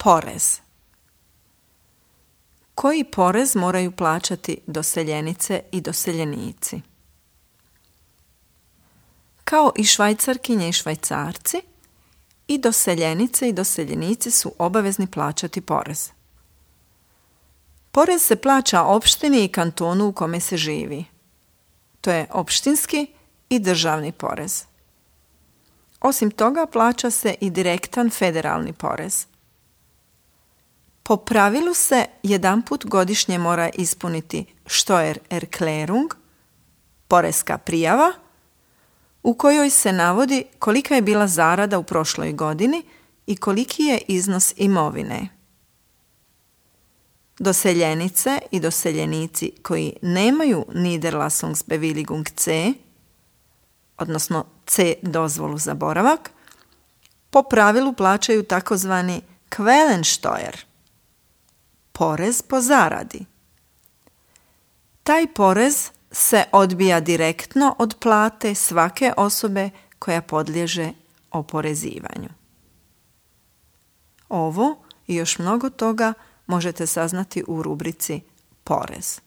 Porez. Koji porez moraju plaćati doseljenice i doseljenici? Kao i Švajcarkinje i Švajcarci, i doseljenice i doseljenici su obavezni plaćati porez. Porez se plaća opštini i kantonu u kome se živi. To je opštinski i državni porez. Osim toga, plaća se i direktan federalni porez. Po pravilu se jedanput godišnje mora ispuniti Steuererklärung, poreska prijava, u kojoj se navodi kolika je bila zarada u prošloj godini i koliki je iznos imovine. Doseljenice i doseljenici koji nemaju Niederlassungsbewilligung C, odnosno C dozvolu za boravak, po pravilu plaćaju takozvani Quellensteuer, porez po zaradi. Taj porez se odbija direktno od plate svake osobe koja podliježe oporezivanju. Ovo i još mnogo toga možete saznati u rubrici Porez.